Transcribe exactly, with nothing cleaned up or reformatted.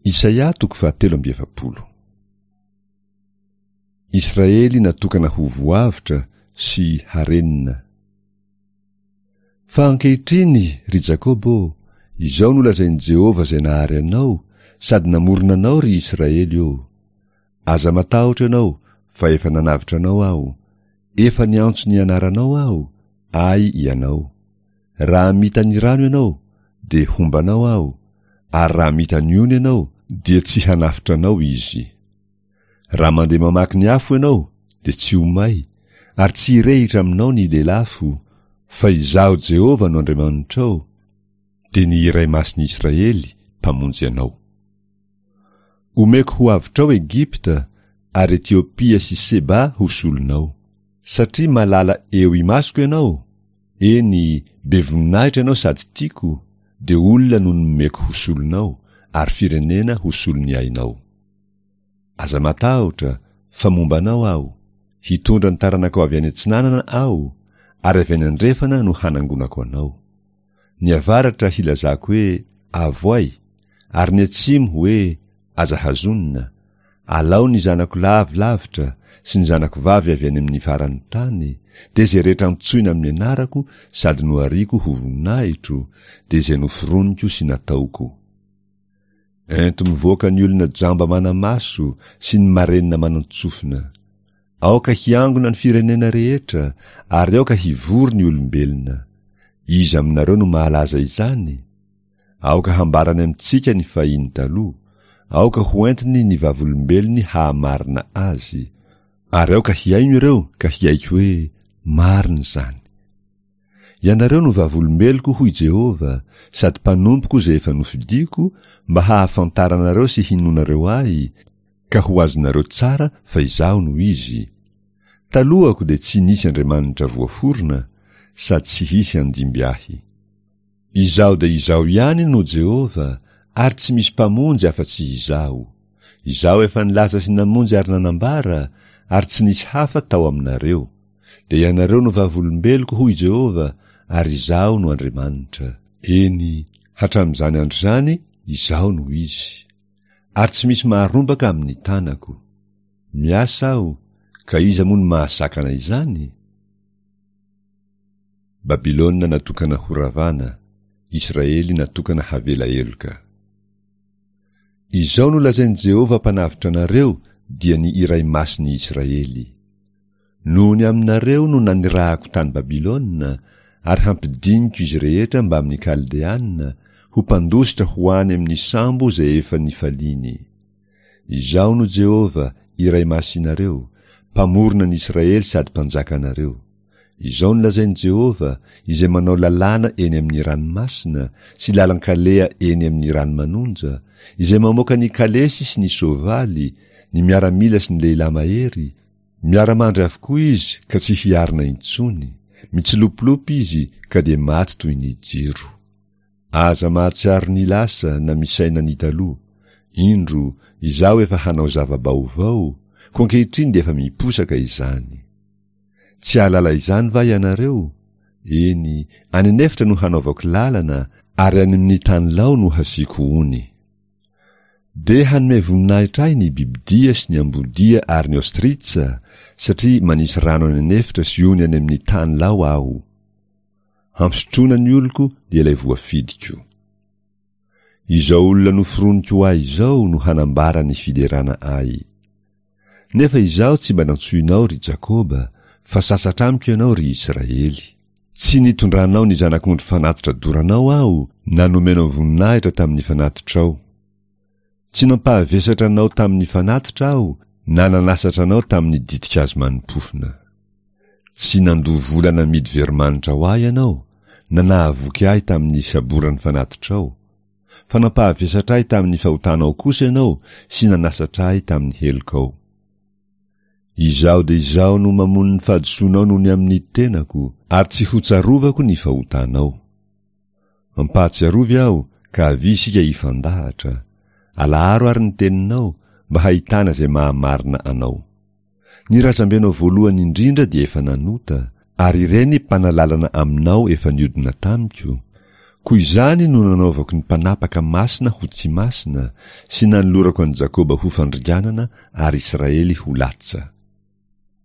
Isaia toko fahatelo amby efapolo. Israely natokana ho voavotra sy harenina. Fa ankehitriny, ry Jakoba ô, izao no lazain'i Jehovah izay nahary anao sady namorona anao, ry Israely ô: Aza matahotra ianao, fa efa nanavotra anao Aho, efa niantso ny anaranao Aho, Ahy ianao. Raha mita ny rano ianao, dia homba anao Aho, ary raha mita ny ony ianao, dia tsy hanafotra anao izy. Raha mandeha mamaky ny afo ianao, dia tsy ho may, ary tsy hirehitra aminao ny lelafo, fa Izaho Jehovah no Andriamanitrao, dia ny Iray Masin'ny Israely, Mpamonjy anao. Omeko ho avotrao Egypta, ary Etiopia sy Seba ho solonao. Satria malala eo imasoko ianao, eny, be voninahitra ianao sady tiako, dia olona no nomeko ho solonao, ary firenena ho solon'ny ainao. Aza matahotra, fa momba anao Aho, hitondra ny taranakao avy any atsinanana Aho, ary avy any andrefana no hanangonako anao. Ny avaratra hilazako hoe avoay, ary ny atsimo hoe aza hazonina. Alao ny zanako lavy lavitra sy ny zanako vavy avy any amin'ny faran'ny tany, dia izay rehetra antsoina amin'ny anarako sady nohariako ho voninahitro, dia izay noforoniko sy nataoko. Ento mivoaka ny olona jamba mana-maso sy ny marenina manan-tsofina. Aoka hiangona ny firenena rehetra, ary aoka hivory ny olombelona. Iza aminareo no mahalaza izany? Aoka hambarany amintsika ny fahiny taloha, aoka hoentiny ny vavolombelony hahamarina azy, ary aoka hihaino ireo ka hiaiky hoe marina izany. Ianareo no vavolombeloko, hoy Jehovah, sady mpanompoko izay efa nofidiko, mba hahafantaranareo sy hinoanareo Ahy, ka ho azonareo tsara fa Izaho no Izy. Talohako dia tsy nisy Andriamanitra voaforona, sady tsy hisy handimby Ahy. Izaho dia Izaho ihany no Jehovah, ary tsy misy mpamonjy afa-tsy Izaho. Izaho efa nilaza sy namonjy ary nanambara, ary tsy nisy hafa tao aminareo. Dia ianareo no vavolombeloko, hoy Jehovah, ary Izaho no Andriamanitra. Eny, hatramin'izany andro izany, Izaho no Izy. Ary tsy misy maharombaka amin'ny tanako. Miasa Aho, ka iza moa no mahasakana izany? Babylona natokana horavana, Israely natokana havela heloka. Izao no lazain'i Jehovah Mpanavotra anareo, dia ny Iray Masin'ny Israely: Noho ny aminareo no nanirahako tany Babylona, ary hampidiniko izy rehetra mbamin'ny Kaldeana, ho mpandositra ho any amin'ny sambo izay efa nifaliany. Izaho no Jehovah, Iray Masinareo, Mpamorona ny Israely sady Mpanjakanareo. Izao no lazain'i Jehovah, izay manao lalàna eny amin'ny ranomasina, sy lalan-kaleha eny amin'ny rano manonja, izay mamoaka ny kalesy sy ny soavaly, ny miaramila sy ny lehilahy mahery, miara-mandry avokoa izy ka tsy hiarina intsony, mitsilopilopy izy ka dia maty toy ny jiro. Aza mahatsiaro ny lasa na misaina ny taloha. Indro, Izaho efa hanao zava-baovao, koa ankehitriny dia efa miposaka izany. Tsy hahalala izany va ianareo? Eny, any an'efitra no hanaovako lalana, ary any amin'ny tany lao no hasiako ony. Dia hanome voninahitra ahy ny bibidia sy ny ambodia ary ny ostritsa, satria manisy rano any an'efitra sy ony any amin'ny tany lao Aho. Hampisotroina ny oloko dia ilay voafidiko. Izao olona noforoniko ho ahy izao no hanambara ny fiderana ahy. Nefa Izaho tsy mba nantsoinao, ry Jakoba, fa sasatra amiko ianao, ry Israely. Tsy nitondranao ny zanak'ondry fanatitra doranao Aho, na nomenao voninahitra tamin'ny fanatitrao. Tsy nampahavesatra anao tamin'ny fanatitra Aho, na nanasatra anao tamin'ny ditin-kazo mani-pofona. Tsy nandoa vola namidy veromanitra ho Ahy ianao, na nahavoky Ahy tamin'ny saboran'ny fanatitrao. Fa nampahavesatra Ahy tamin'ny fahotanao kosa ianao sy nanasatra Ahy tamin'ny helokao. Izaho dia Izaho no mamono ny fahadisoanao noho ny amin'ny tenako, ary tsy hotsarovako ny fahotanao. Ampahatsiarovy aho, ka avia isika hifandahatra. Alaharo àry ny teninao, mba hahitana izay mahamarina anao. Ny razambenao voalohany indrindra dia efa nanota, ary ireny mpanalalana aminao efa niodina tamiko, Koa izany no nanaovako ny mpanapaka masina ho tsy masina, sy nanolorako an'i Jakoba ho fandringanana ary Israely ho latsa.